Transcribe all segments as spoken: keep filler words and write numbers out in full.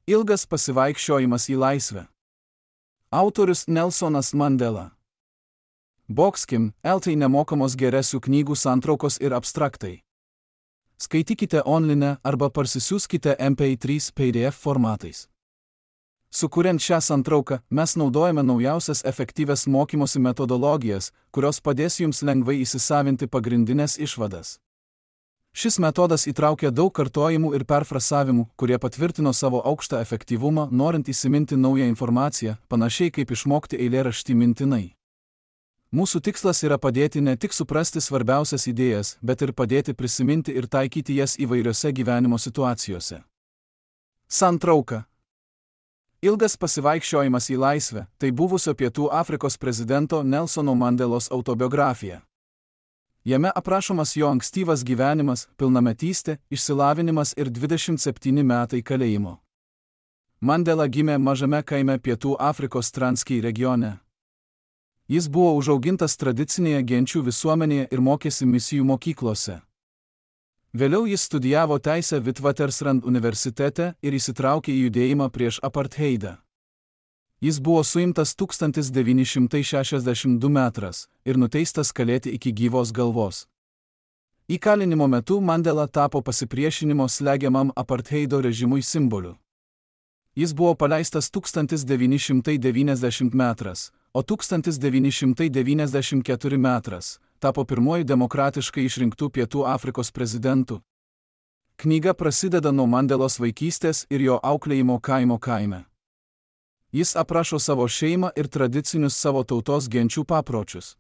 Ilgas pasivaikščiojimas į laisvę. Autorius Nelsonas Mandela. Boxkim, eltai nemokamos geresių knygų santraukos ir abstraktai. Skaitykite online arba parsisiųskite M P trys P D F formatais. Sukuriant šią santrauką, mes naudojame naujausias efektyvias mokymosi metodologijas, kurios padės jums lengvai įsisavinti pagrindinės išvadas. Šis metodas įtraukia daug kartojimų ir perfrasavimų, kurie patvirtino savo aukštą efektyvumą, norint įsiminti naują informaciją, panašiai kaip išmokti eilėraštį mintinai. Mūsų tikslas yra padėti ne tik suprasti svarbiausias idėjas, bet ir padėti prisiminti ir taikyti jas įvairiose gyvenimo situacijose. Santrauka. Ilgas pasivaikščiojimas į laisvę – tai buvusio Pietų Afrikos prezidento Nelsono Mandelos autobiografija. Jame aprašomas jo ankstyvas gyvenimas, pilnametystė, išsilavinimas ir dvidešimt septyni metai kalėjimo. Mandela gimė mažame kaime Pietų Afrikos Transkei regione. Jis buvo užaugintas tradicinėje genčių visuomenėje ir mokėsi misijų mokyklose. Vėliau jis studijavo teisę Witwatersrand universitete ir įsitraukė į judėjimą prieš apartheidą. Jis buvo suimtas tūkstantis devyni šimtai šešiasdešimt du metrais ir nuteistas kalėti iki gyvos galvos. Įkalinimo metu Mandela tapo pasipriešinimo slegiamam apartheido režimui simboliu. Jis buvo paleistas tūkstantis devyni šimtai devyniasdešimt metrais, o tūkstantis devyni šimtai devyniasdešimt keturi metrais tapo pirmuoju demokratiškai išrinktų Pietų Afrikos prezidentu. Knyga prasideda nuo Mandelos vaikystės ir jo auklėjimo kaimo kaime. Jis aprašo savo šeimą ir tradicinius savo tautos genčių papročius.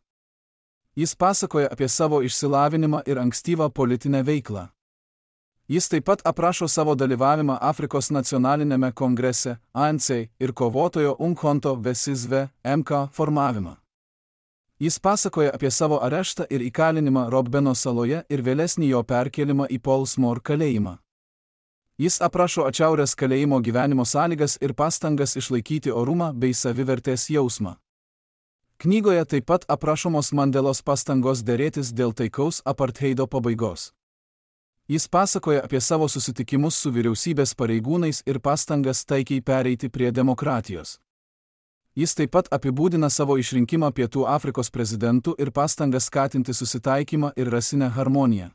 Jis pasakoja apie savo išsilavinimą ir ankstyvą politinę veiklą. Jis taip pat aprašo savo dalyvavimą Afrikos nacionalinėme kongrese, A N C, ir kovotojo Umkhonto we Sizwe, M K, formavimą. Jis pasakoja apie savo areštą ir įkalinimą Robben saloje ir vėlesnį jo perkėlimą į Pollsmoor kalėjimą. Jis aprašo atšiaurės kalėjimo gyvenimo sąlygas ir pastangas išlaikyti orumą bei savivertės jausmą. Knygoje taip pat aprašomos Mandelos pastangos derėtis dėl taikaus apartheido pabaigos. Jis pasakoja apie savo susitikimus su vyriausybės pareigūnais ir pastangas taikiai pereiti prie demokratijos. Jis taip pat apibūdina savo išrinkimą Pietų Afrikos prezidentu ir pastangas skatinti susitaikymą ir rasinę harmoniją.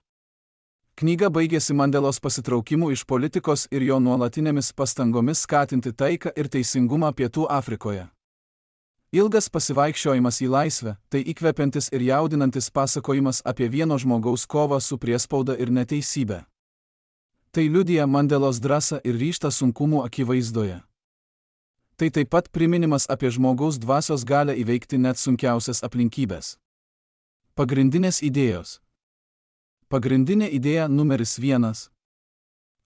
Knyga baigėsi Mandelos pasitraukimu iš politikos ir jo nuolatinėmis pastangomis skatinti taiką ir teisingumą Pietų Afrikoje. Ilgas pasivaikščiojimas į laisvę – tai įkvepiantis ir jaudinantis pasakojimas apie vieno žmogaus kovą su priespauda ir neteisybė. Tai liudija Mandelos drąsą ir ryžtą sunkumų akivaizdoje. Tai taip pat priminimas apie žmogaus dvasios galią įveikti net sunkiausias aplinkybės. Pagrindinės idėjos. Pagrindinė idėja numeris vienas.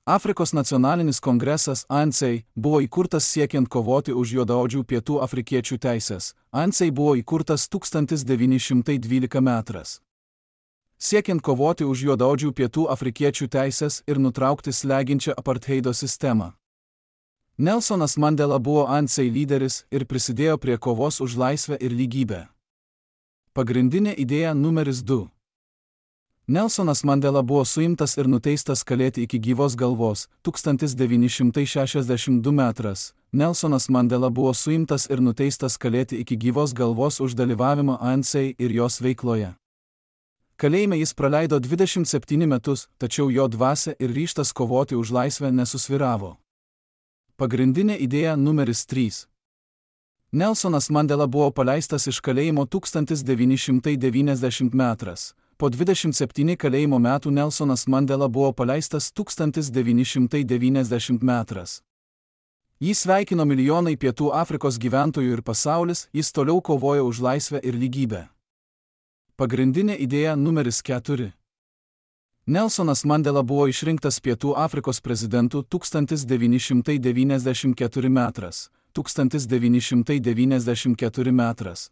Afrikos nacionalinis kongresas A N C buvo įkurtas siekiant kovoti už juodaodžių pietų afrikiečių teisės. A N C buvo įkurtas tūkstantis devyni šimtai dvyliktais metrais. Siekiant kovoti už juodaodžių pietų afrikiečių teisės ir nutraukti slegiančią apartheido sistemą. Nelsonas Mandela buvo A N C lyderis ir prisidėjo prie kovos už laisvę ir lygybę. Pagrindinė idėja numeris du. Nelsonas Mandela buvo suimtas ir nuteistas kalėti iki gyvos galvos tūkstantis devyni šimtai šešiasdešimt du metrais. Nelsonas Mandela buvo suimtas ir nuteistas kalėti iki gyvos galvos už dalyvavimą A N C ir jos veikloje. Kalėjime jis praleido dvidešimt septynis metus, tačiau jo dvasia ir ryžtas kovoti už laisvę nesusvyravo. Pagrindinė idėja numeris trys. Nelsonas Mandela buvo paleistas iš kalėjimo tūkstantis devyni šimtai devyniasdešimt metrais. Po dvidešimt septynių kalėjimo metų Nelsonas Mandela buvo paleistas tūkstantis devyni šimtai devyniasdešimt metrais. Jį sveikino milijonai Pietų Afrikos gyventojų ir pasaulis, jis toliau kovojo už laisvę ir lygybę. Pagrindinė idėja numeris keturi. Nelsonas Mandela buvo išrinktas Pietų Afrikos prezidentu tūkstantis devyni šimtai devyniasdešimt ketvirtais metrais. tūkstantis devyni šimtai devyniasdešimt ketvirtais metrais.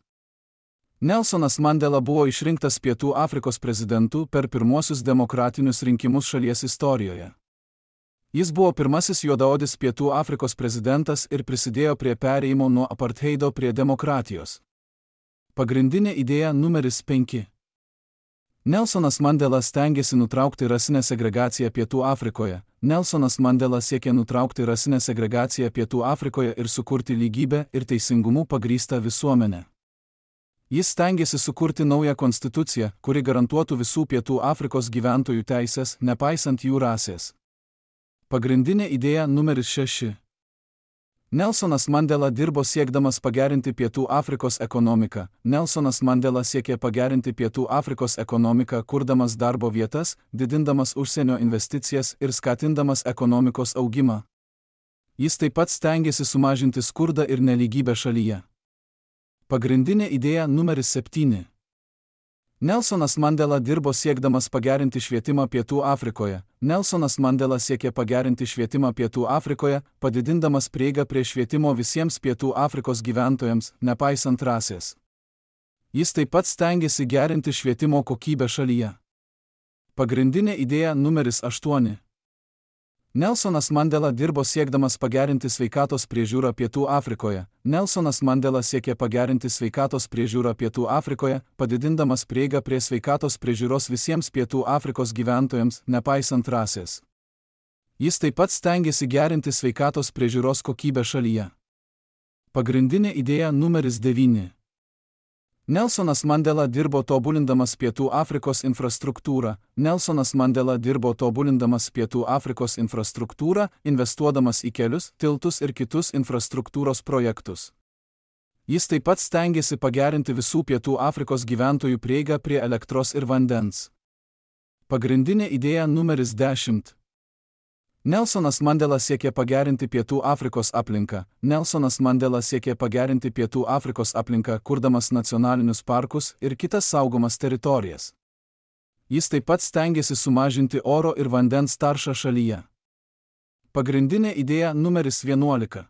Nelsonas Mandela buvo išrinktas Pietų Afrikos prezidentu per pirmuosius demokratinius rinkimus šalies istorijoje. Jis buvo pirmasis juodaodis Pietų Afrikos prezidentas ir prisidėjo prie perėjimo nuo apartheido prie demokratijos. Pagrindinė idėja numeris penki. Nelsonas Mandela stengiasi nutraukti rasinę segregaciją Pietų Afrikoje. Nelsonas Mandela siekė nutraukti rasinę segregaciją Pietų Afrikoje ir sukurti lygybę ir teisingumu pagrįstą visuomenę. Jis stengiasi sukurti naują konstituciją, kuri garantuotų visų Pietų Afrikos gyventojų teisės, nepaisant jų rasės. Pagrindinė idėja numeris šeši. Nelsonas Mandela dirbo siekdamas pagerinti Pietų Afrikos ekonomiką. Nelsonas Mandela siekė pagerinti Pietų Afrikos ekonomiką, kurdamas darbo vietas, didindamas užsienio investicijas ir skatindamas ekonomikos augimą. Jis taip pat stengiasi sumažinti skurdą ir nelygybę šalyje. Pagrindinė idėja numeris septyni. Nelsonas Mandela dirbo siekdamas pagerinti švietimą Pietų Afrikoje. Nelsonas Mandela siekė pagerinti švietimą Pietų Afrikoje, padidindamas prieigą prie švietimo visiems Pietų Afrikos gyventojams, nepaisant rasės. Jis taip pat stengiasi gerinti švietimo kokybę šalyje. Pagrindinė idėja numeris aštuoni. Nelsonas Mandela dirbo siekdamas pagerinti sveikatos priežiūrą Pietų Afrikoje. Nelsonas Mandela siekė pagerinti sveikatos priežiūrą Pietų Afrikoje, padidindamas prieigą prie sveikatos priežiūros visiems Pietų Afrikos gyventojams, nepaisant rasės. Jis taip pat stengiasi gerinti sveikatos priežiūros kokybę šalyje. Pagrindinė idėja numeris devyni. Nelsonas Mandela dirbo tobulindamas Pietų Afrikos infrastruktūrą. Nelsonas Mandela dirbo tobulindamas Pietų Afrikos infrastruktūrą, investuodamas į kelius, tiltus ir kitus infrastruktūros projektus. Jis taip pat stengiasi pagerinti visų Pietų Afrikos gyventojų prieigą prie elektros ir vandens. Pagrindinė idėja numeris dešimt. Nelsonas Mandela siekė pagerinti Pietų Afrikos aplinką. Nelsonas Mandela siekė pagerinti Pietų Afrikos aplinką, kurdamas nacionalinius parkus ir kitas saugomas teritorijas. Jis taip pat stengiasi sumažinti oro ir vandens taršą šalyje. Pagrindinė idėja numeris vienuolika.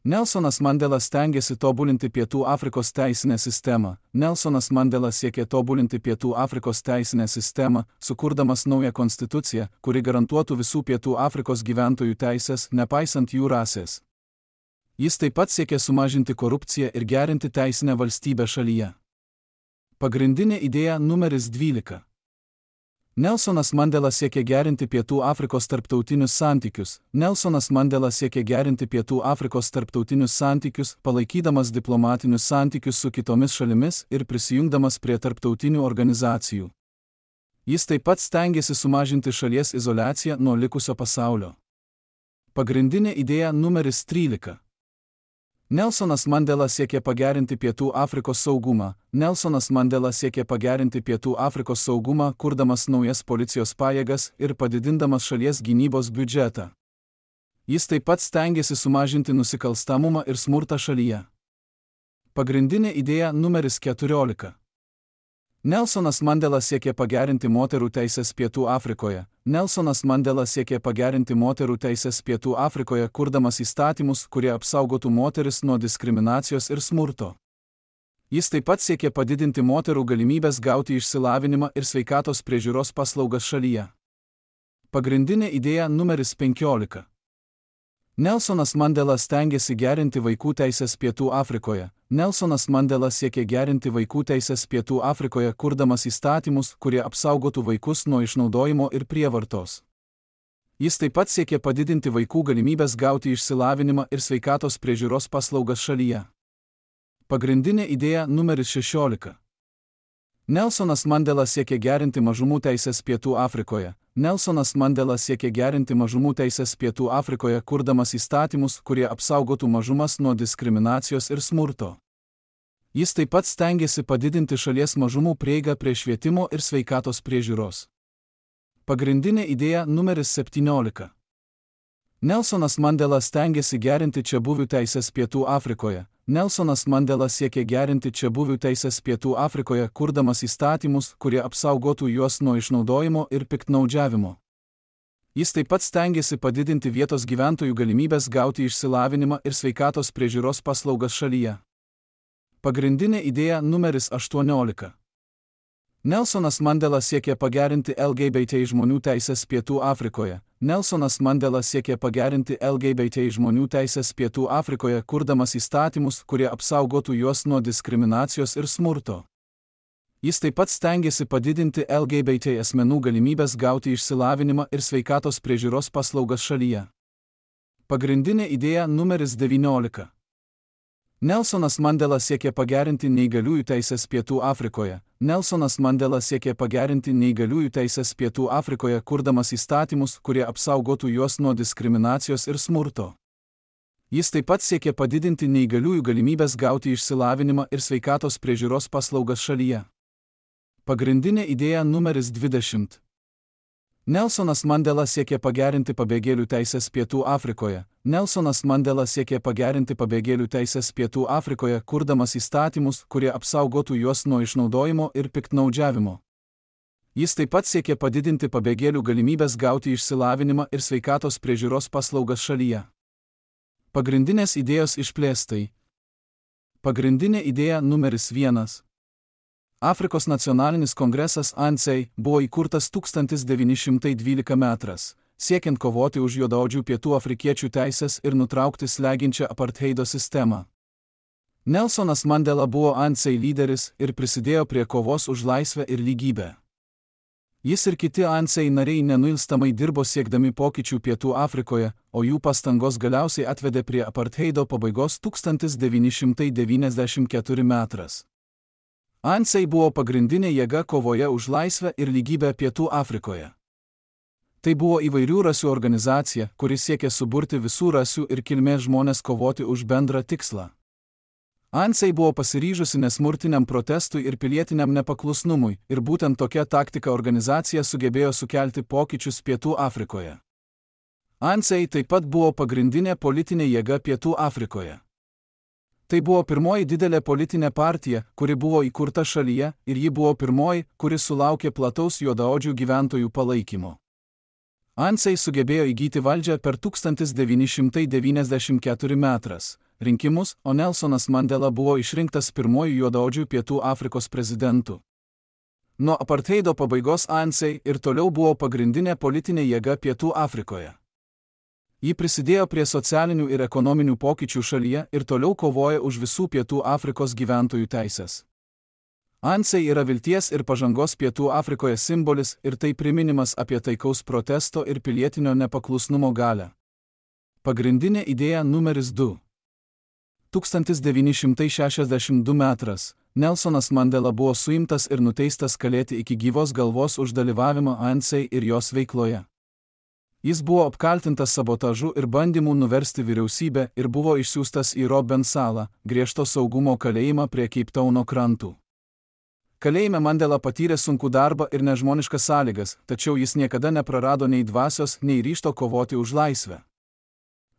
Nelsonas Mandela stengiasi tobulinti Pietų Afrikos teisinę sistemą. Nelsonas Mandela siekė tobulinti Pietų Afrikos teisinę sistemą, sukurdamas naują konstituciją, kuri garantuotų visų Pietų Afrikos gyventojų teisės, nepaisant jų rasės. Jis taip pat siekė sumažinti korupciją ir gerinti teisinę valstybę šalyje. Pagrindinė idėja numeris dvylika. Nelsonas Mandela siekė gerinti Pietų Afrikos tarptautinius santykius. Nelsonas Mandela siekė gerinti Pietų Afrikos tarptautinius santykius, palaikydamas diplomatinius santykius su kitomis šalimis ir prisijungdamas prie tarptautinių organizacijų. Jis taip pat stengiasi sumažinti šalies izoliaciją nuo likusio pasaulio. Pagrindinė idėja numeris trylika. Nelsonas Mandela siekė pagerinti Pietų Afrikos saugumą. Nelsonas Mandela siekė pagerinti Pietų Afrikos saugumą, kurdamas naujas policijos pajėgas ir padidindamas šalies gynybos biudžetą. Jis taip pat stengiasi sumažinti nusikalstamumą ir smurtą šalyje. Pagrindinė idėja numeris keturiolika. Nelsonas Mandela siekė pagerinti moterų teisės Pietų Afrikoje. Nelsonas Mandela siekė pagerinti moterų teisės Pietų Afrikoje, kurdamas įstatymus, kurie apsaugotų moteris nuo diskriminacijos ir smurto. Jis taip pat siekė padidinti moterų galimybės gauti išsilavinimą ir sveikatos priežiūros paslaugas šalyje. Pagrindinė idėja numeris penkiolika. Nelsonas Mandela stengiasi gerinti vaikų teisės Pietų Afrikoje. Nelsonas Mandela siekė gerinti vaikų teisės Pietų Afrikoje, kurdamas įstatymus, kurie apsaugotų vaikus nuo išnaudojimo ir prievartos. Jis taip pat siekė padidinti vaikų galimybės gauti išsilavinimą ir sveikatos priežiūros paslaugas šalyje. Pagrindinė idėja numeris šešiolika. Nelsonas Mandela siekė gerinti mažumų teisės Pietų Afrikoje. Nelsonas Mandela siekė gerinti mažumų teisės Pietų Afrikoje, kurdamas įstatymus, kurie apsaugotų mažumas nuo diskriminacijos ir smurto. Jis taip pat stengiasi padidinti šalies mažumų prieigą prie švietimo ir sveikatos priežiūros. Pagrindinė idėja numeris septyniolika. Nelsonas Mandela stengiasi gerinti čiabuvių teisės Pietų Afrikoje. Nelsonas Mandela siekė gerinti čiabuvių teisės Pietų Afrikoje, kurdamas įstatymus, kurie apsaugotų juos nuo išnaudojimo ir piktnaudžiavimo. Jis taip pat stengiasi padidinti vietos gyventojų galimybės gauti išsilavinimą ir sveikatos priežiūros paslaugas šalyje. Pagrindinė idėja numeris aštuoniolika. Nelsonas Mandela siekė pagerinti L G B T žmonių teisės Pietų Afrikoje. Nelsonas Mandela siekė pagerinti L G B T žmonių teisės Pietų Afrikoje, kurdamas įstatymus, kurie apsaugotų juos nuo diskriminacijos ir smurto. Jis taip pat stengiasi padidinti L G B T asmenų galimybės gauti išsilavinimą ir sveikatos priežiūros paslaugas šalyje. Pagrindinė idėja numeris devyniolika. Nelsonas Mandela siekė pagerinti neįgaliųjų teisės Pietų Afrikoje. Nelsonas Mandela siekė pagerinti neįgaliųjų teisės Pietų Afrikoje, kurdamas įstatymus, kurie apsaugotų juos nuo diskriminacijos ir smurto. Jis taip pat siekė padidinti neįgaliųjų galimybės gauti išsilavinimą ir sveikatos priežiūros paslaugas šalyje. Pagrindinė idėja numeris dvidešimt. Nelsonas Mandela siekė pagerinti pabėgėlių teisės Pietų Afrikoje. Nelsonas Mandela siekė pagerinti pabėgėlių teisės Pietų Afrikoje, kurdamas įstatymus, kurie apsaugotų juos nuo išnaudojimo ir piktnaudžiavimo. Jis taip pat siekė padidinti pabėgėlių galimybės gauti išsilavinimą ir sveikatos priežiūros paslaugas šalyje. Pagrindinės idėjos išplėstai. Pagrindinė idėja numeris vienas. Afrikos nacionalinis kongresas A N C buvo įkurtas tūkstantis devyni šimtai dvyliktais metais, siekiant kovoti už juodaodžių pietų afrikiečių teisės ir nutraukti slegiančią apartheido sistemą. Nelsonas Mandela buvo A N C lyderis ir prisidėjo prie kovos už laisvę ir lygybę. Jis ir kiti A N C nariai nenuilstamai dirbo siekdami pokyčių Pietų Afrikoje, o jų pastangos galiausiai atvedė prie apartheido pabaigos tūkstantis devyni šimtai devyniasdešimt ketvirtais metais. A N C buvo pagrindinė jėga kovoje už laisvę ir lygybę Pietų Afrikoje. Tai buvo įvairių rasių organizacija, kuri siekė suburti visų rasių ir kilmės žmonės kovoti už bendrą tikslą. A N C buvo pasiryžusi nesmurtiniam protestui ir pilietiniam nepaklusnumui, ir būtent tokia taktika organizacija sugebėjo sukelti pokyčius Pietų Afrikoje. A N C taip pat buvo pagrindinė politinė jėga Pietų Afrikoje. Tai buvo pirmoji didelė politinė partija, kuri buvo įkurta šalyje, ir ji buvo pirmoji, kuri sulaukė plataus juodaodžių gyventojų palaikymo. A N C sugebėjo įgyti valdžią per tūkstantis devyni šimtai devyniasdešimt ketvirtais metais rinkimus, o Nelsonas Mandela buvo išrinktas pirmoju juodaodžių Pietų Afrikos prezidentu. Nuo apartheido pabaigos A N C ir toliau buvo pagrindinė politinė jėga Pietų Afrikoje. Ji prisidėjo prie socialinių ir ekonominių pokyčių šalyje ir toliau kovoja už visų Pietų Afrikos gyventojų teisės. A N C yra vilties ir pažangos Pietų Afrikoje simbolis ir tai priminimas apie taikaus protesto ir pilietinio nepaklusnumo galią. Pagrindinė idėja numeris du. tūkstantis devyni šimtai šešiasdešimt du metais Nelsonas Mandela buvo suimtas ir nuteistas kalėti iki gyvos galvos už dalyvavimą A N C ir jos veikloje. Jis buvo apkaltintas sabotažu ir bandymu nuversti vyriausybę ir buvo išsiųstas į Robben salą, griežto saugumo kalėjimą prie Keiptauno krantų. Kalėjime Mandela patyrė sunkų darbą ir nežmoniškas sąlygas, tačiau jis niekada neprarado nei dvasios, nei ryžto kovoti už laisvę.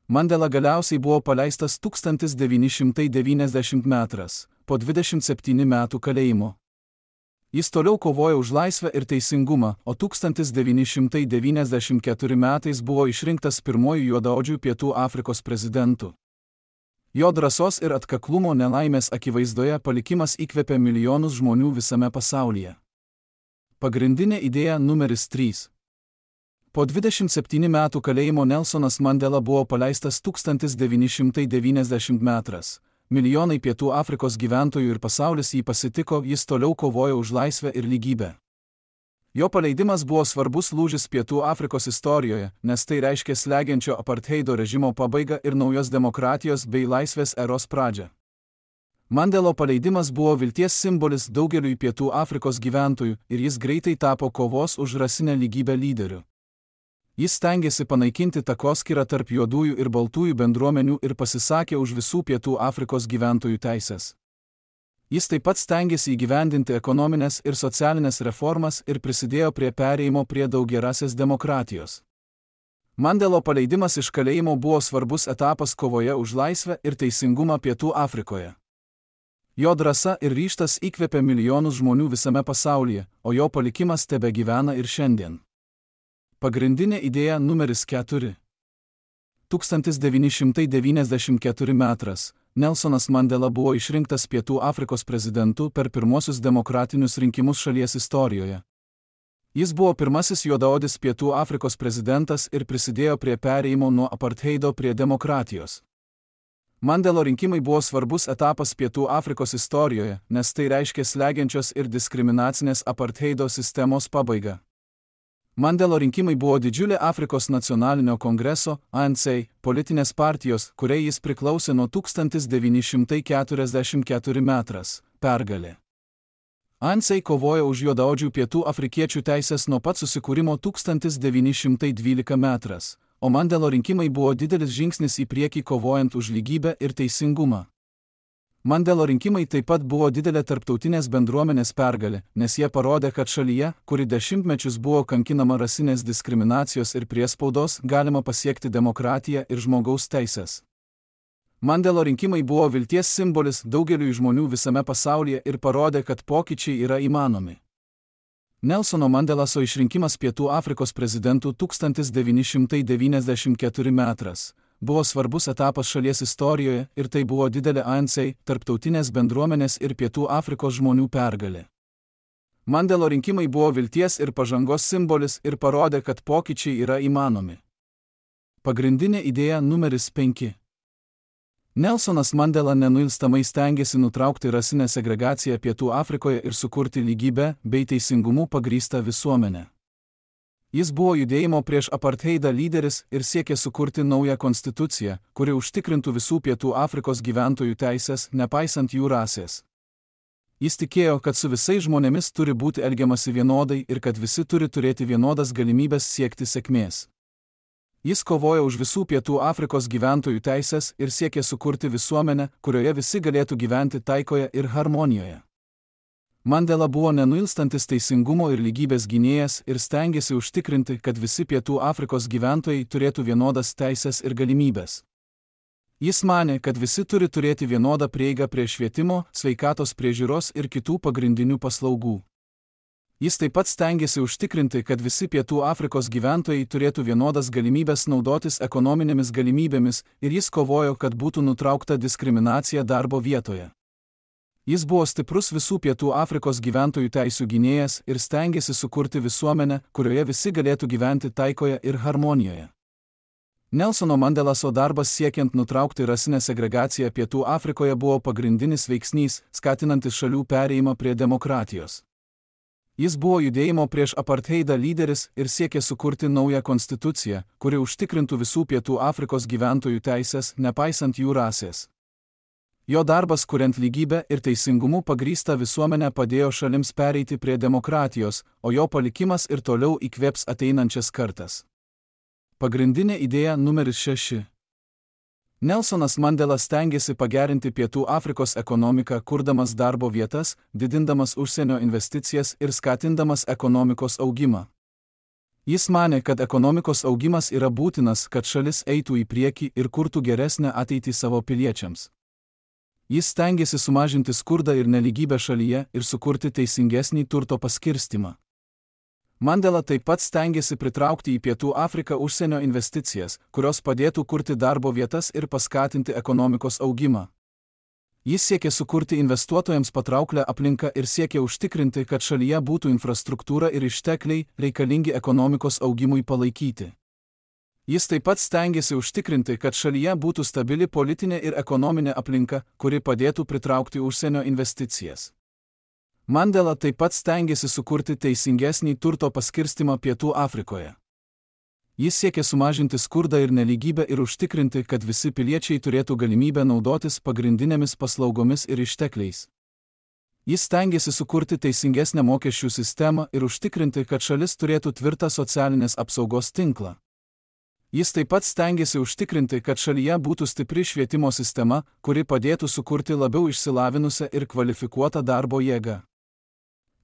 Mandela galiausiai buvo paleistas tūkstantis devyni šimtai devyniasdešimtais metais, po dvidešimt septynių metų kalėjimo. Jis toliau kovojo už laisvę ir teisingumą, o tūkstantis devyni šimtai devyniasdešimt ketvirtais metais buvo išrinktas pirmoju juodaodžių Pietų Afrikos prezidentu. Jo drąsos ir atkaklumo nelaimės akivaizdoje palikimas įkvėpė milijonus žmonių visame pasaulyje. Pagrindinė idėja numeris trys. Po dvidešimt septynių metų kalėjimo Nelsonas Mandela buvo paleistas tūkstantis devyni šimtai devyniasdešimtais metais. Milijonai Pietų Afrikos gyventojų ir pasaulis jį pasitiko, jis toliau kovojo už laisvę ir lygybę. Jo paleidimas buvo svarbus lūžis Pietų Afrikos istorijoje, nes tai reiškė slegiančio apartheido režimo pabaigą ir naujos demokratijos bei laisvės eros pradžią. Mandelo paleidimas buvo vilties simbolis daugeliui Pietų Afrikos gyventojų ir jis greitai tapo kovos už rasinę lygybę lyderiu. Jis stengiasi panaikinti takoskyrą tarp juodųjų ir baltųjų bendruomenių ir pasisakė už visų Pietų Afrikos gyventojų teisės. Jis taip pat stengiasi įgyvendinti ekonominės ir socialinės reformas ir prisidėjo prie perėjimo prie daugiarasės demokratijos. Mandelo paleidimas iš kalėjimo buvo svarbus etapas kovoje už laisvę ir teisingumą Pietų Afrikoje. Jo drąsa ir ryžtas įkvėpė milijonus žmonių visame pasaulyje, o jo palikimas tebegyvena ir šiandien. Pagrindinė idėja numeris keturi. tūkstantis devyni šimtai devyniasdešimt ketvirtais metais Nelsonas Mandela buvo išrinktas Pietų Afrikos prezidentu per pirmosius demokratinius rinkimus šalies istorijoje. Jis buvo pirmasis juodaodis Pietų Afrikos prezidentas ir prisidėjo prie perėjimo nuo apartheido prie demokratijos. Mandelo rinkimai buvo svarbus etapas Pietų Afrikos istorijoje, nes tai reiškė slegiančios ir diskriminacinės apartheido sistemos pabaigą. Mandelo rinkimai buvo didžiulė Afrikos nacionalinio kongreso, A N C, politinės partijos, kuriai jis priklausė nuo tūkstantis devyni šimtai keturiasdešimt keturi metras, pergalė. A N C kovojo už juodaodžių pietų afrikiečių teisės nuo pat susikūrimo tūkstantis devyni šimtai dvylika metras, o Mandelo rinkimai buvo didelis žingsnis į priekį kovojant už lygybę ir teisingumą. Mandelo rinkimai taip pat buvo didelė tarptautinės bendruomenės pergalė, nes jie parodė, kad šalyje, kuri dešimtmečius buvo kankinama rasinės diskriminacijos ir priespaudos, galima pasiekti demokratiją ir žmogaus teisės. Mandelo rinkimai buvo vilties simbolis daugeliui žmonių visame pasaulyje ir parodė, kad pokyčiai yra įmanomi. Nelsono Mandelaso išrinkimas Pietų Afrikos prezidentu tūkstantis devyni šimtai devyniasdešimt keturi metras buvo svarbus etapas šalies istorijoje ir tai buvo didelė A N C, tarptautinės bendruomenės ir Pietų Afrikos žmonių pergalė. Mandelo rinkimai buvo vilties ir pažangos simbolis ir parodė, kad pokyčiai yra įmanomi. Pagrindinė idėja numeris penki. Nelsonas Mandela nenuilstamai stengėsi nutraukti rasinę segregaciją Pietų Afrikoje ir sukurti lygybę bei teisingumu pagrįstą visuomenę. Jis buvo judėjimo prieš apartheidą lyderis ir siekė sukurti naują konstituciją, kuri užtikrintų visų Pietų Afrikos gyventojų teisės, nepaisant jų rasės. Jis tikėjo, kad su visais žmonėmis turi būti elgiamasi vienodai ir kad visi turi turėti vienodas galimybės siekti sėkmės. Jis kovojo už visų Pietų Afrikos gyventojų teisės ir siekė sukurti visuomenę, kurioje visi galėtų gyventi taikoje ir harmonijoje. Mandela buvo nenuilstantis teisingumo ir lygybės gynėjas ir stengėsi užtikrinti, kad visi Pietų Afrikos gyventojai turėtų vienodas teisės ir galimybės. Jis manė, kad visi turi turėti vienodą prieigą prie švietimo, sveikatos priežiūros ir kitų pagrindinių paslaugų. Jis taip pat stengėsi užtikrinti, kad visi Pietų Afrikos gyventojai turėtų vienodas galimybės naudotis ekonominėmis galimybėmis ir jis kovojo, kad būtų nutraukta diskriminacija darbo vietoje. Jis buvo stiprus visų Pietų Afrikos gyventojų teisių gynėjas ir stengėsi sukurti visuomenę, kurioje visi galėtų gyventi taikoje ir harmonijoje. Nelsono Mandelaso darbas siekiant nutraukti rasinę segregaciją Pietų Afrikoje buvo pagrindinis veiksnys, skatinantis šalių perėjimą prie demokratijos. Jis buvo judėjimo prieš apartheidą lyderis ir siekė sukurti naują konstituciją, kuri užtikrintų visų Pietų Afrikos gyventojų teisės, nepaisant jų rasės. Jo darbas kuriant lygybę ir teisingumu pagrįstą visuomenę padėjo šalims pereiti prie demokratijos, o jo palikimas ir toliau įkvėps ateinančias kartas. Pagrindinė idėja numeris šeši. Nelsonas Mandela stengėsi pagerinti Pietų Afrikos ekonomiką, kurdamas darbo vietas, didindamas užsienio investicijas ir skatindamas ekonomikos augimą. Jis manė, kad ekonomikos augimas yra būtinas, kad šalis eitų į priekį ir kurtų geresnę ateitį savo piliečiams. Jis stengėsi sumažinti skurdą ir nelygybę šalyje ir sukurti teisingesnį turto paskirstymą. Mandela taip pat stengėsi pritraukti į Pietų Afriką užsienio investicijas, kurios padėtų kurti darbo vietas ir paskatinti ekonomikos augimą. Jis siekė sukurti investuotojams patrauklę aplinką ir siekė užtikrinti, kad šalyje būtų infrastruktūra ir ištekliai reikalingi ekonomikos augimui palaikyti. Jis taip pat stengėsi užtikrinti, kad šalyje būtų stabili politinė ir ekonominė aplinka, kuri padėtų pritraukti užsienio investicijas. Mandela taip pat stengėsi sukurti teisingesnį turto paskirstimą Pietų Afrikoje. Jis siekė sumažinti skurdą ir nelygybę ir užtikrinti, kad visi piliečiai turėtų galimybę naudotis pagrindinėmis paslaugomis ir ištekliais. Jis stengėsi sukurti teisingesnę mokesčių sistemą ir užtikrinti, kad šalis turėtų tvirtą socialinės apsaugos tinklą. Jis taip pat stengėsi užtikrinti, kad šalyje būtų stipri švietimo sistema, kuri padėtų sukurti labiau išsilavinusią ir kvalifikuotą darbo jėgą.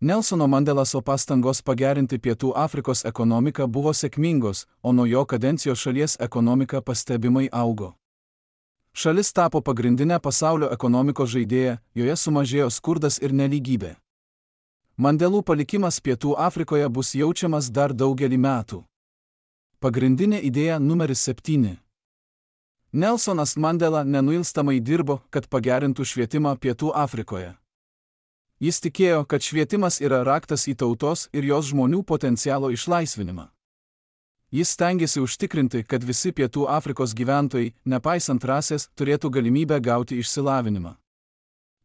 Nelsono Mandelaso pastangos pagerinti Pietų Afrikos ekonomiką buvo sėkmingos, o nuo jo kadencijos šalies ekonomika pastebimai augo. Šalis tapo pagrindinė pasaulio ekonomikos žaidėja, joje sumažėjo skurdas ir nelygybė. Mandelų palikimas Pietų Afrikoje bus jaučiamas dar daugelį metų. Pagrindinė idėja numeris septyni. Nelsonas Mandela nenuilstamai dirbo, kad pagerintų švietimą Pietų Afrikoje. Jis tikėjo, kad švietimas yra raktas į tautos ir jos žmonių potencialo išlaisvinimą. Jis stengiasi užtikrinti, kad visi Pietų Afrikos gyventojai, nepaisant rasės, turėtų galimybę gauti išsilavinimą.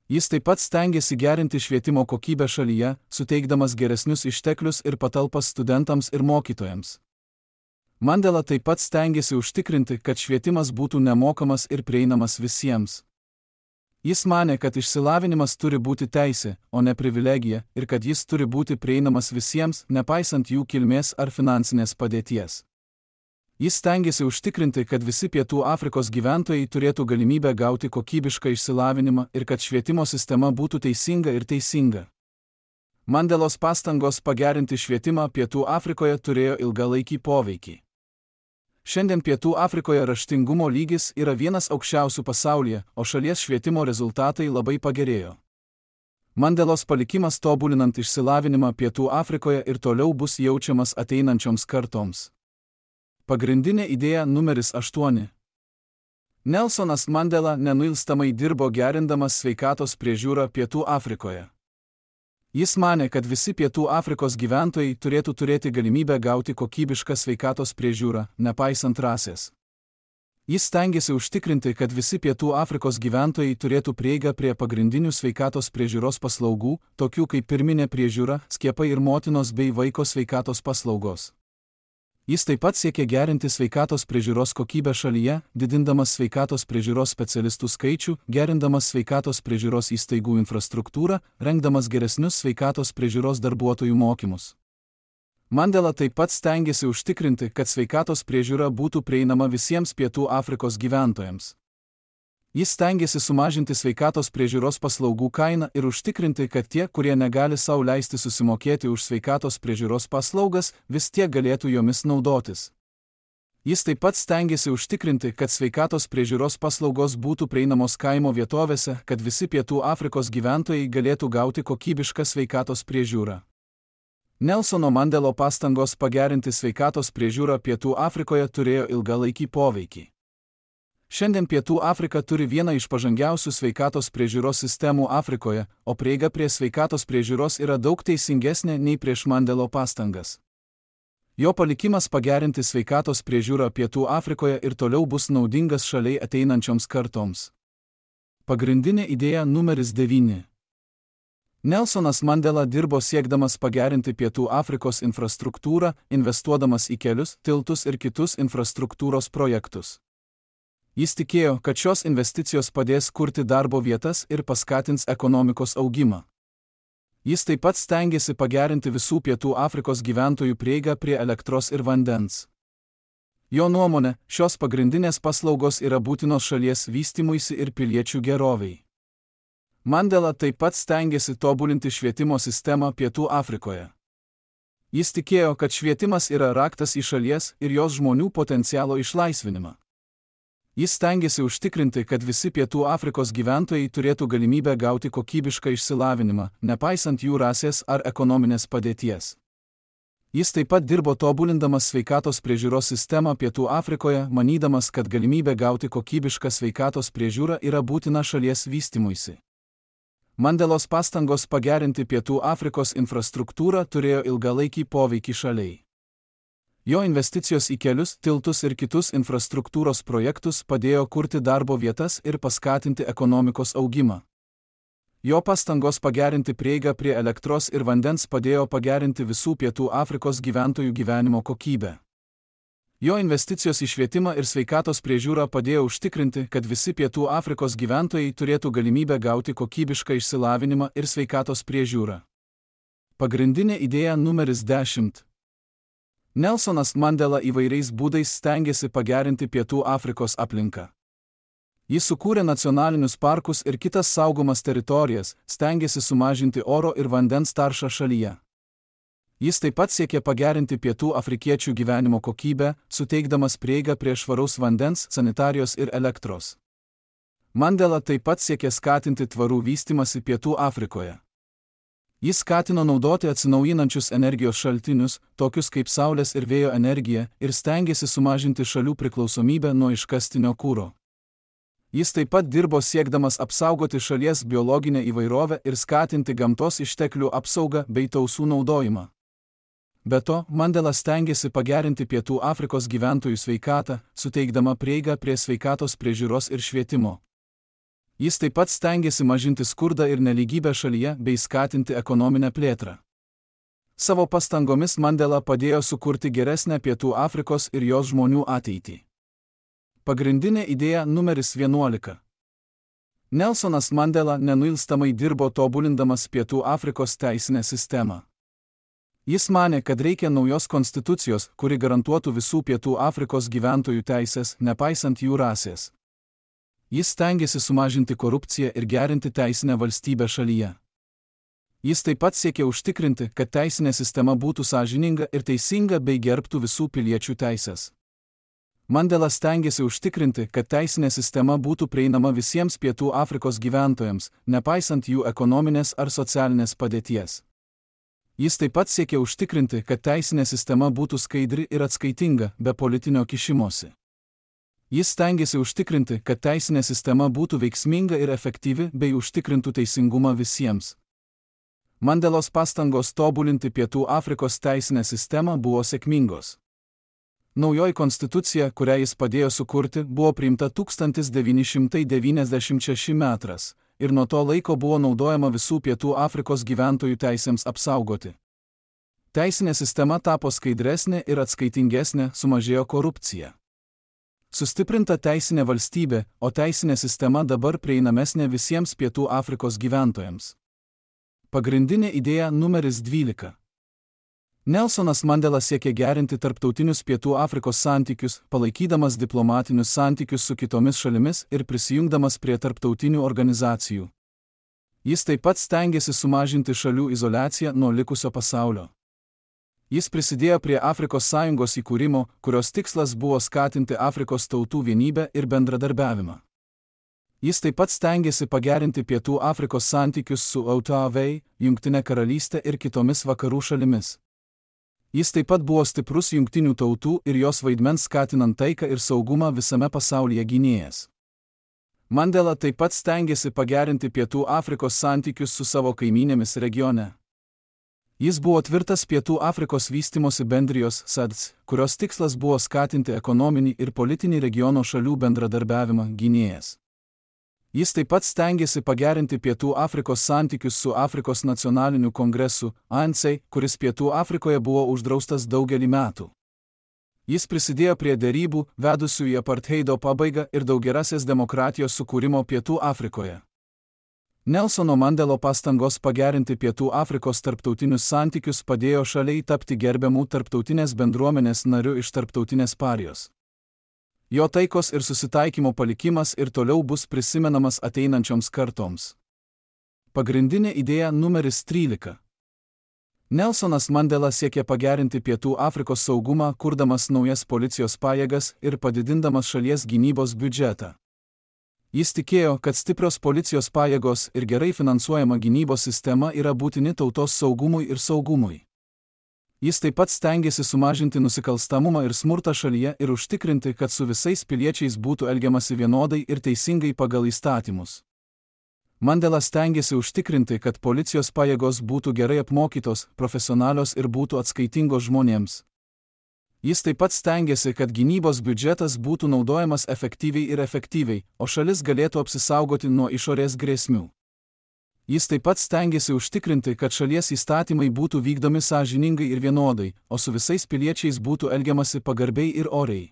Jis taip pat stengiasi gerinti švietimo kokybę šalyje, suteikdamas geresnius išteklius ir patalpas studentams ir mokytojams. Mandela taip pat stengiasi užtikrinti, kad švietimas būtų nemokamas ir prieinamas visiems. Jis manė, kad išsilavinimas turi būti teisė, o ne privilegija, ir kad jis turi būti prieinamas visiems, nepaisant jų kilmės ar finansinės padėties. Jis stengiasi užtikrinti, kad visi Pietų Afrikos gyventojai turėtų galimybę gauti kokybišką išsilavinimą ir kad švietimo sistema būtų teisinga ir teisinga. Mandelos pastangos pagerinti švietimą Pietų Afrikoje turėjo ilgalaikį poveikį. Šiandien Pietų Afrikoje raštingumo lygis yra vienas aukščiausių pasaulyje, o šalies švietimo rezultatai labai pagerėjo. Mandelos palikimas tobulinant išsilavinimą Pietų Afrikoje ir toliau bus jaučiamas ateinančioms kartoms. Pagrindinė idėja numeris aštuoni. Nelsonas Mandela nenuilstamai dirbo gerindamas sveikatos priežiūrą Pietų Afrikoje. Jis manė, kad visi Pietų Afrikos gyventojai turėtų turėti galimybę gauti kokybišką sveikatos priežiūrą, nepaisant rasės. Jis stengiasi užtikrinti, kad visi Pietų Afrikos gyventojai turėtų prieigą prie pagrindinių sveikatos priežiūros paslaugų, tokių kaip pirminė priežiūra, skiepai ir motinos bei vaiko sveikatos paslaugos. Jis taip pat siekia gerinti sveikatos priežiūros kokybę šalyje, didindamas sveikatos priežiūros specialistų skaičių, gerindamas sveikatos priežiūros įstaigų infrastruktūrą, rengdamas geresnius sveikatos priežiūros darbuotojų mokymus. Mandela taip pat stengiasi užtikrinti, kad sveikatos priežiūra būtų prieinama visiems Pietų Afrikos gyventojams. Jis stengiasi sumažinti sveikatos priežiūros paslaugų kainą ir užtikrinti, kad tie, kurie negali sau leisti susimokėti už sveikatos priežiūros paslaugas, vis tiek galėtų jomis naudotis. Jis taip pat stengiasi užtikrinti, kad sveikatos priežiūros paslaugos būtų prieinamos kaimo vietovėse, kad visi Pietų Afrikos gyventojai galėtų gauti kokybišką sveikatos priežiūrą. Nelsono Mandelo pastangos pagerinti sveikatos priežiūrą Pietų Afrikoje turėjo ilgalaikį poveikį. Šiandien Pietų Afrika turi vieną iš pažangiausių sveikatos priežiūros sistemų Afrikoje, o prieiga prie sveikatos priežiūros yra daug teisingesnė nei prieš Mandelo pastangas. Jo palikimas pagerinti sveikatos priežiūrą Pietų Afrikoje ir toliau bus naudingas šaliai ateinančioms kartoms. Pagrindinė idėja numeris devyni. Nelsonas Mandela dirbo siekdamas pagerinti Pietų Afrikos infrastruktūrą, investuodamas į kelius, tiltus ir kitus infrastruktūros projektus. Jis tikėjo, kad šios investicijos padės kurti darbo vietas ir paskatins ekonomikos augimą. Jis taip pat stengiasi pagerinti visų Pietų Afrikos gyventojų prieigą prie elektros ir vandens. Jo nuomone, šios pagrindinės paslaugos yra būtinos šalies vystymuisi ir piliečių gerovei. Mandela taip pat stengiasi tobulinti švietimo sistemą Pietų Afrikoje. Jis tikėjo, kad švietimas yra raktas į šalies ir jos žmonių potencialo išlaisvinimą. Jis stengiasi užtikrinti, kad visi Pietų Afrikos gyventojai turėtų galimybę gauti kokybišką išsilavinimą, nepaisant jų rasės ar ekonominės padėties. Jis taip pat dirbo tobulindamas sveikatos priežiūros sistemą Pietų Afrikoje, manydamas, kad galimybė gauti kokybišką sveikatos priežiūrą yra būtina šalies vystymuisi. Mandelos pastangos pagerinti Pietų Afrikos infrastruktūrą turėjo ilgalaikį poveikį šaliai. Jo investicijos į kelius, tiltus ir kitus infrastruktūros projektus padėjo kurti darbo vietas ir paskatinti ekonomikos augimą. Jo pastangos pagerinti prieigą prie elektros ir vandens padėjo pagerinti visų Pietų Afrikos gyventojų gyvenimo kokybę. Jo investicijos į švietimą ir sveikatos priežiūrą padėjo užtikrinti, kad visi Pietų Afrikos gyventojai turėtų galimybę gauti kokybišką išsilavinimą ir sveikatos priežiūrą. Pagrindinė idėja numeris dešimt. Nelsonas Mandela įvairiais būdais stengiasi pagerinti Pietų Afrikos aplinką. Jis sukūrė nacionalinius parkus ir kitas saugomas teritorijas, stengiasi sumažinti oro ir vandens taršą šalyje. Jis taip pat siekė pagerinti Pietų afrikiečių gyvenimo kokybę, suteikdamas prieigą prie švaraus vandens, sanitarijos ir elektros. Mandela taip pat siekė skatinti tvarų vystymąsi Pietų Afrikoje. Jis skatino naudoti atsinaujinančius energijos šaltinius, tokius kaip saulės ir vėjo energija, ir stengėsi sumažinti šalių priklausomybę nuo iškastinio kuro. Jis taip pat dirbo siekdamas apsaugoti šalies biologinę įvairovę ir skatinti gamtos išteklių apsaugą bei tausų naudojimą. Be to, Mandela stengiasi pagerinti Pietų Afrikos gyventojų sveikatą, suteikdama prieigą prie sveikatos priežiūros ir švietimo. Jis taip pat stengiasi mažinti skurdą ir nelygybę šalyje bei skatinti ekonominę plėtrą. Savo pastangomis Mandela padėjo sukurti geresnę Pietų Afrikos ir jos žmonių ateitį. Pagrindinė idėja numeris vienuolika. Nelsonas Mandela nenuilstamai dirbo tobulindamas Pietų Afrikos teisinę sistemą. Jis manė, kad reikia naujos konstitucijos, kuri garantuotų visų Pietų Afrikos gyventojų teisės, nepaisant jų rasės. Jis stengiasi sumažinti korupciją ir gerinti teisinę valstybę šalyje. Jis taip pat siekė užtikrinti, kad teisinė sistema būtų sąžininga ir teisinga bei gerbtų visų piliečių teisės. Mandela stengiasi užtikrinti, kad teisinė sistema būtų prieinama visiems Pietų Afrikos gyventojams, nepaisant jų ekonominės ar socialinės padėties. Jis taip pat siekė užtikrinti, kad teisinė sistema būtų skaidri ir atskaitinga, be politinio kišimosi. Jis stengiasi užtikrinti, kad teisinė sistema būtų veiksminga ir efektyvi bei užtikrintų teisingumą visiems. Mandelos pastangos tobulinti Pietų Afrikos teisinę sistemą buvo sėkmingos. Naujoji konstitucija, kurią jis padėjo sukurti, buvo priimta tūkstantis devyni šimtai devyniasdešimt šeštais metais. Ir nuo to laiko buvo naudojama visų Pietų Afrikos gyventojų teisėms apsaugoti. Teisinė sistema tapo skaidresnė ir atskaitingesnė, sumažėjo korupcija. Sustiprinta teisinė valstybė, o teisinė sistema dabar prieinamesnė visiems Pietų Afrikos gyventojams. Pagrindinė idėja numeris dvylika. Nelsonas Mandela siekė gerinti tarptautinius Pietų Afrikos santykius, palaikydamas diplomatinius santykius su kitomis šalimis ir prisijungdamas prie tarptautinių organizacijų. Jis taip pat stengiasi sumažinti šalių izoliaciją nuo likusio pasaulio. Jis prisidėjo prie Afrikos sąjungos įkūrimo, kurios tikslas buvo skatinti Afrikos tautų vienybę ir bendradarbiavimą. Jis taip pat stengiasi pagerinti Pietų Afrikos santykius su O T A, Jungtine karalystė ir kitomis vakarų šalimis. Jis taip pat buvo stiprus jungtinių tautų ir jos vaidmens skatinant taiką ir saugumą visame pasaulyje gynėjas. Mandela taip pat stengiasi pagerinti Pietų Afrikos santykius su savo kaimynėmis regione. Jis buvo tvirtas Pietų Afrikos vystymosi bendrijos S A D C, kurios tikslas buvo skatinti ekonominį ir politinį regiono šalių bendradarbiavimą gynėjas. Jis taip pat stengiasi pagerinti Pietų Afrikos santykius su Afrikos nacionaliniu kongresu, A N C, kuris Pietų Afrikoje buvo uždraustas daugelį metų. Jis prisidėjo prie derybų, vedusių į apartheido pabaigą ir daugiarasės demokratijos sukūrimo Pietų Afrikoje. Nelsono Mandelo pastangos pagerinti Pietų Afrikos tarptautinius santykius padėjo šaliai tapti gerbiamų tarptautinės bendruomenės nariu iš tarptautinės parijos. Jo taikos ir susitaikymo palikimas ir toliau bus prisimenamas ateinančioms kartoms. Pagrindinė idėja numeris trylika. Nelsonas Mandela siekė pagerinti Pietų Afrikos saugumą, kurdamas naujas policijos pajėgas ir padidindamas šalies gynybos biudžetą. Jis tikėjo, kad stiprios policijos pajėgos ir gerai finansuojama gynybos sistema yra būtini tautos saugumui ir saugumui. Jis taip pat stengiasi sumažinti nusikalstamumą ir smurtą šalyje ir užtikrinti, kad su visais piliečiais būtų elgiamasi vienodai ir teisingai pagal įstatymus. Mandela stengiasi užtikrinti, kad policijos pajėgos būtų gerai apmokytos, profesionalios ir būtų atskaitingos žmonėms. Jis taip pat stengiasi, kad gynybos biudžetas būtų naudojamas efektyviai ir efektyviai, o šalis galėtų apsisaugoti nuo išorės grėsmių. Jis taip pat stengiasi užtikrinti, kad šalies įstatymai būtų vykdomi sąžiningai ir vienodai, o su visais piliečiais būtų elgiamasi pagarbiai ir oriai.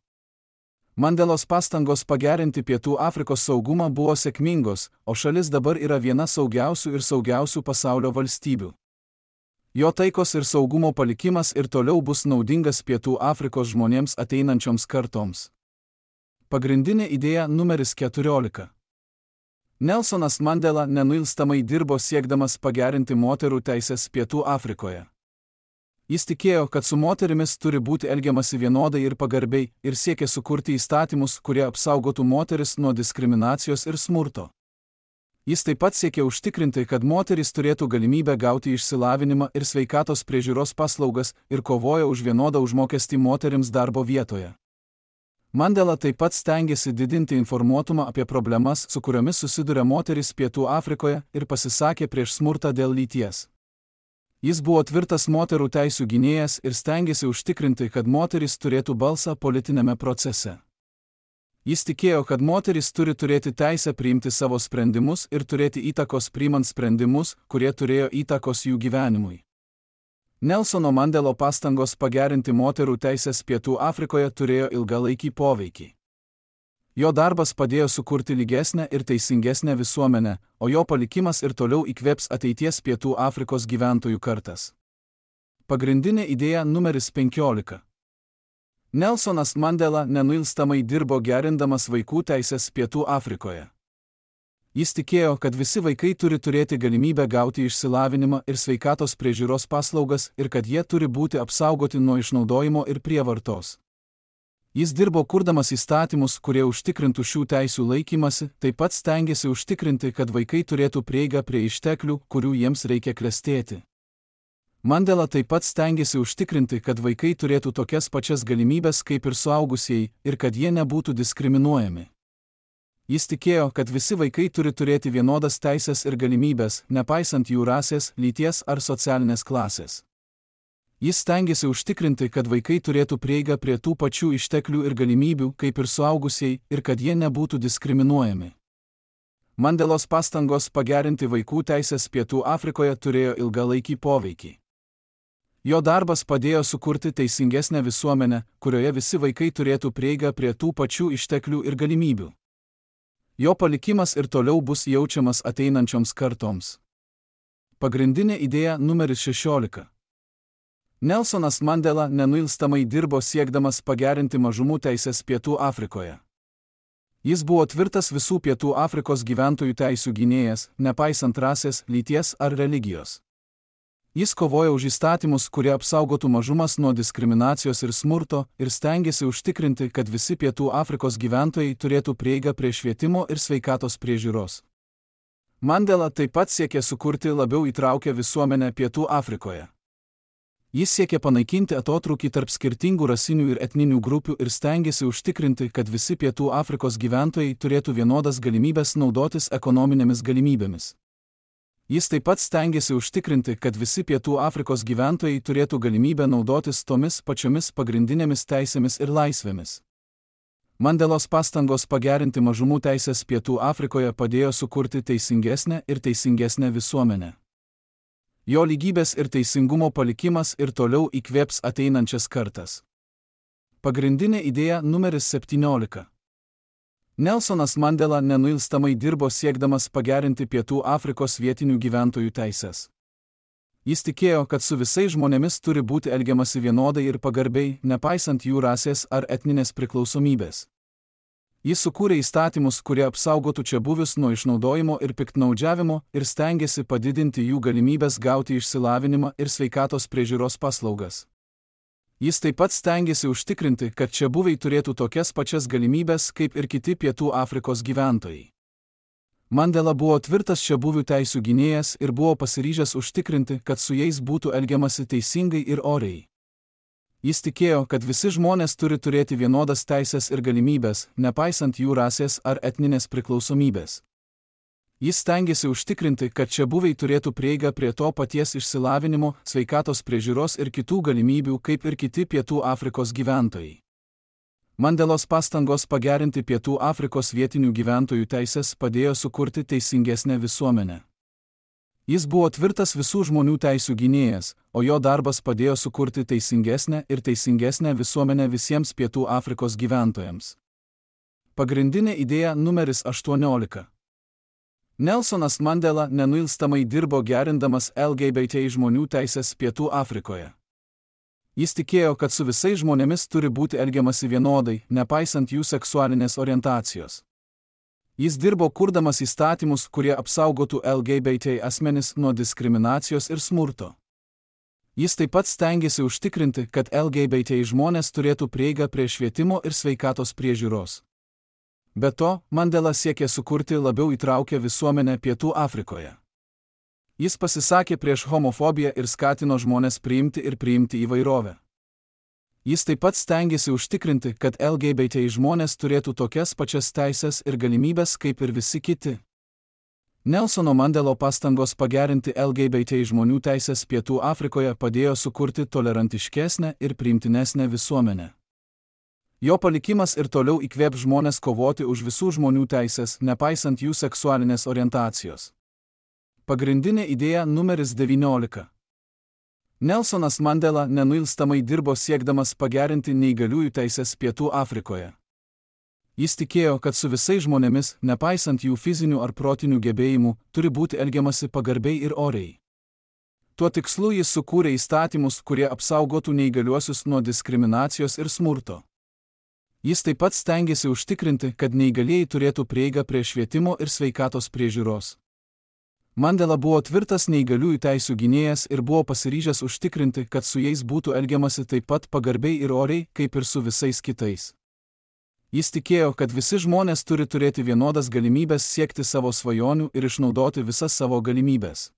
Mandelos pastangos pagerinti Pietų Afrikos saugumą buvo sėkmingos, o šalis dabar yra viena saugiausių ir saugiausių pasaulio valstybių. Jo taikos ir saugumo palikimas ir toliau bus naudingas Pietų Afrikos žmonėms ateinančioms kartoms. Pagrindinė idėja numeris keturiolika. Nelsonas Mandela nenuilstamai dirbo siekdamas pagerinti moterų teisės Pietų Afrikoje. Jis tikėjo, kad su moterimis turi būti elgiamasi vienodai ir pagarbiai ir siekė sukurti įstatymus, kurie apsaugotų moteris nuo diskriminacijos ir smurto. Jis taip pat siekė užtikrinti, kad moterys turėtų galimybę gauti išsilavinimą ir sveikatos priežiūros paslaugas ir kovojo už vienodą užmokestį moterims darbo vietoje. Mandela taip pat stengiasi didinti informuotumą apie problemas, su kuriomis susiduria moterys Pietų Afrikoje ir pasisakė prieš smurtą dėl lyties. Jis buvo tvirtas moterų teisių gynėjas ir stengėsi užtikrinti, kad moterys turėtų balsą politinėme procese. Jis tikėjo, kad moterys turi turėti teisę priimti savo sprendimus ir turėti įtakos priimant sprendimus, kurie turėjo įtakos jų gyvenimui. Nelsono Mandelo pastangos pagerinti moterų teisės Pietų Afrikoje turėjo ilgalaikį poveikį. Jo darbas padėjo sukurti lygesnę ir teisingesnę visuomenę, o jo palikimas ir toliau įkvėps ateities Pietų Afrikos gyventojų kartas. Pagrindinė idėja numeris penkiolika. Nelsonas Mandela nenuilstamai dirbo gerindamas vaikų teisės Pietų Afrikoje. Jis tikėjo, kad visi vaikai turi turėti galimybę gauti išsilavinimą ir sveikatos priežiūros paslaugas ir kad jie turi būti apsaugoti nuo išnaudojimo ir prievartos. Jis dirbo kurdamas įstatymus, kurie užtikrintų šių teisių laikymasi, taip pat stengėsi užtikrinti, kad vaikai turėtų prieigą prie išteklių, kurių jiems reikia klestėti. Mandela taip pat stengėsi užtikrinti, kad vaikai turėtų tokias pačias galimybės kaip ir suaugusieji ir kad jie nebūtų diskriminuojami. Jis tikėjo, kad visi vaikai turi turėti vienodas teisės ir galimybės, nepaisant jų rasės, lyties ar socialinės klasės. Jis stengėsi užtikrinti, kad vaikai turėtų prieigą prie tų pačių išteklių ir galimybių, kaip ir suaugusieji, ir kad jie nebūtų diskriminuojami. Mandelos pastangos pagerinti vaikų teisės Pietų Afrikoje turėjo ilgalaikį poveikį. Jo darbas padėjo sukurti teisingesnę visuomenę, kurioje visi vaikai turėtų prieigą prie tų pačių išteklių ir galimybių. Jo palikimas ir toliau bus jaučiamas ateinančioms kartoms. Pagrindinė idėja numeris šešiolika. Nelsonas Mandela nenuilstamai dirbo siekdamas pagerinti mažumų teisės Pietų Afrikoje. Jis buvo tvirtas visų Pietų Afrikos gyventojų teisių gynėjas, nepaisant rasės, lyties ar religijos. Jis kovojo už įstatymus, kurie apsaugotų mažumas nuo diskriminacijos ir smurto, ir stengėsi užtikrinti, kad visi Pietų Afrikos gyventojai turėtų prieigą prie švietimo ir sveikatos priežiūros. Mandela taip pat siekė sukurti labiau įtraukę visuomenę Pietų Afrikoje. Jis siekė panaikinti atotrūkį tarp skirtingų rasinių ir etninių grupių ir stengėsi užtikrinti, kad visi Pietų Afrikos gyventojai turėtų vienodas galimybės naudotis ekonominėmis galimybėmis. Jis taip pat stengėsi užtikrinti, kad visi Pietų Afrikos gyventojai turėtų galimybę naudotis tomis pačiomis pagrindinėmis teisėmis ir laisvėmis. Mandelos pastangos pagerinti mažumų teisės Pietų Afrikoje padėjo sukurti teisingesnę ir teisingesnę visuomenę. Jo lygybės ir teisingumo palikimas ir toliau įkvėps ateinančias kartas. Pagrindinė idėja numeris septyniolika. Nelsonas Mandela nenuilstamai dirbo siekdamas pagerinti Pietų Afrikos vietinių gyventojų teisės. Jis tikėjo, kad su visais žmonėmis turi būti elgiamasi vienodai ir pagarbiai, nepaisant jų rasės ar etninės priklausomybės. Jis sukūrė įstatymus, kurie apsaugotų čiabuvius nuo išnaudojimo ir piktnaudžiavimo ir stengėsi padidinti jų galimybės gauti išsilavinimą ir sveikatos priežiūros paslaugas. Jis taip pat stengėsi užtikrinti, kad čiabuviai turėtų tokias pačias galimybės kaip ir kiti Pietų Afrikos gyventojai. Mandela buvo tvirtas čiabuvių teisių gynėjas ir buvo pasiryžęs užtikrinti, kad su jais būtų elgiamasi teisingai ir oriai. Jis tikėjo, kad visi žmonės turi turėti vienodas teisės ir galimybės, nepaisant jų rasės ar etninės priklausomybės. Jis stengėsi užtikrinti, kad čiabuviai turėtų prieigą prie to paties išsilavinimo, sveikatos priežiūros ir kitų galimybių kaip ir kiti Pietų Afrikos gyventojai. Mandelos pastangos pagerinti Pietų Afrikos vietinių gyventojų teisės padėjo sukurti teisingesnę visuomenę. Jis buvo tvirtas visų žmonių teisių gynėjas, o jo darbas padėjo sukurti teisingesnę ir teisingesnę visuomenę visiems Pietų Afrikos gyventojams. Pagrindinė idėja numeris aštuoniolika. Nelsonas Mandela nenuilstamai dirbo gerindamas L G B T žmonių teisės Pietų Afrikoje. Jis tikėjo, kad su visais žmonėmis turi būti elgiamasi vienodai, nepaisant jų seksualinės orientacijos. Jis dirbo kurdamas įstatymus, kurie apsaugotų L G B T asmenis nuo diskriminacijos ir smurto. Jis taip pat stengėsi užtikrinti, kad L G B T žmonės turėtų prieigą prie švietimo ir sveikatos priežiūros. Be to, Mandela siekė sukurti labiau įtraukę visuomenę Pietų Afrikoje. Jis pasisakė prieš homofobiją ir skatino žmonės priimti ir priimti įvairovę. Jis taip pat stengėsi užtikrinti, kad L G B T žmonės turėtų tokias pačias teisės ir galimybės kaip ir visi kiti. Nelsono Mandelo pastangos pagerinti L G B T žmonių teisės Pietų Afrikoje padėjo sukurti tolerantiškesnę ir priimtinesnę visuomenę. Jo palikimas ir toliau įkvėp žmonės kovoti už visų žmonių teisės, nepaisant jų seksualinės orientacijos. Pagrindinė idėja numeris devyniolika. Nelsonas Mandela nenuilstamai dirbo siekdamas pagerinti neįgaliųjų teisės Pietų Afrikoje. Jis tikėjo, kad su visais žmonėmis, nepaisant jų fizinių ar protinių gebėjimų, turi būti elgiamasi pagarbiai ir oriai. Tuo tikslu jis sukūrė įstatymus, kurie apsaugotų neįgaliuosius nuo diskriminacijos ir smurto. Jis taip pat stengėsi užtikrinti, kad neįgalieji turėtų prieigą prie švietimo ir sveikatos priežiūros. Mandela buvo tvirtas neįgaliųjų teisių gynėjas ir buvo pasiryžęs užtikrinti, kad su jais būtų elgiamasi taip pat pagarbiai ir oriai, kaip ir su visais kitais. Jis tikėjo, kad visi žmonės turi turėti vienodas galimybės siekti savo svajonių ir išnaudoti visas savo galimybės.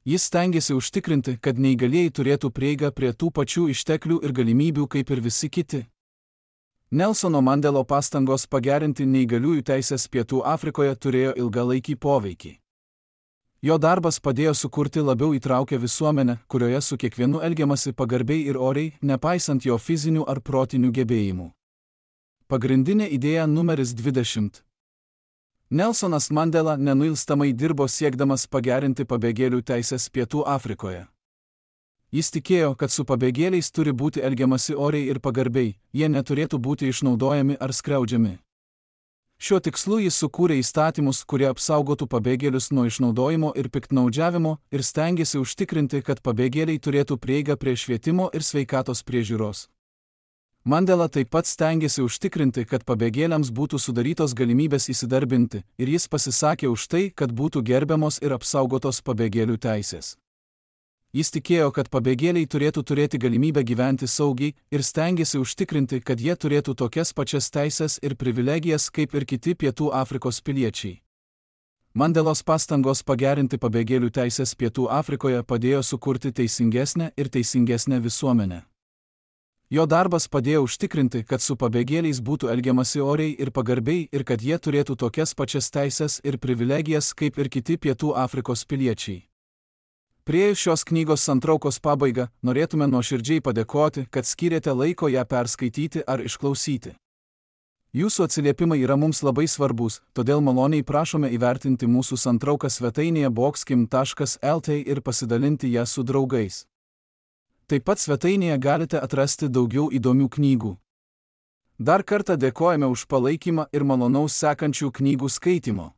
Jis stengėsi užtikrinti, kad neįgalieji turėtų prieigą prie tų pačių išteklių ir galimybių kaip ir visi kiti. Nelsono Mandelo pastangos pagerinti neįgaliųjų teisės Pietų Afrikoje turėjo ilgalaikį poveikį. Jo darbas padėjo sukurti labiau įtraukę visuomenę, kurioje su kiekvienu elgiamasi pagarbiai ir oriai, nepaisant jo fizinių ar protinių gebėjimų. Pagrindinė idėja numeris dvidešimt. Nelsonas Mandela nenuilstamai dirbo siekdamas pagerinti pabėgėlių teisės Pietų Afrikoje. Jis tikėjo, kad su pabėgėliais turi būti elgiamasi oriai ir pagarbiai, jie neturėtų būti išnaudojami ar skriaudžiami. Šiuo tikslu jis sukūrė įstatymus, kurie apsaugotų pabėgėlius nuo išnaudojimo ir piktnaudžiavimo ir stengėsi užtikrinti, kad pabėgėliai turėtų prieigą prie švietimo ir sveikatos priežiūros. Mandela taip pat stengėsi užtikrinti, kad pabėgėliams būtų sudarytos galimybės įsidarbinti, ir jis pasisakė už tai, kad būtų gerbiamos ir apsaugotos pabėgėlių teisės. Jis tikėjo, kad pabėgėliai turėtų turėti galimybę gyventi saugiai ir stengėsi užtikrinti, kad jie turėtų tokias pačias teisės ir privilegijas kaip ir kiti Pietų Afrikos piliečiai. Mandelos pastangos pagerinti pabėgėlių teisės Pietų Afrikoje padėjo sukurti teisingesnę ir teisingesnę visuomenę. Jo darbas padėjo užtikrinti, kad su pabėgėliais būtų elgiamasi oriai ir pagarbiai ir kad jie turėtų tokias pačias teisės ir privilegijas kaip ir kiti Pietų Afrikos piliečiai. Priėjus šios knygos santraukos pabaigą, norėtume nuoširdžiai padėkoti, kad skyrėte laiko ją perskaityti ar išklausyti. Jūsų atsiliepimai yra mums labai svarbus, todėl maloniai prašome įvertinti mūsų santrauką svetainėje boxkim taškas el t ir pasidalinti ją su draugais. Taip pat svetainėje galite atrasti daugiau įdomių knygų. Dar kartą dėkojame už palaikymą ir malonaus sekančių knygų skaitimo.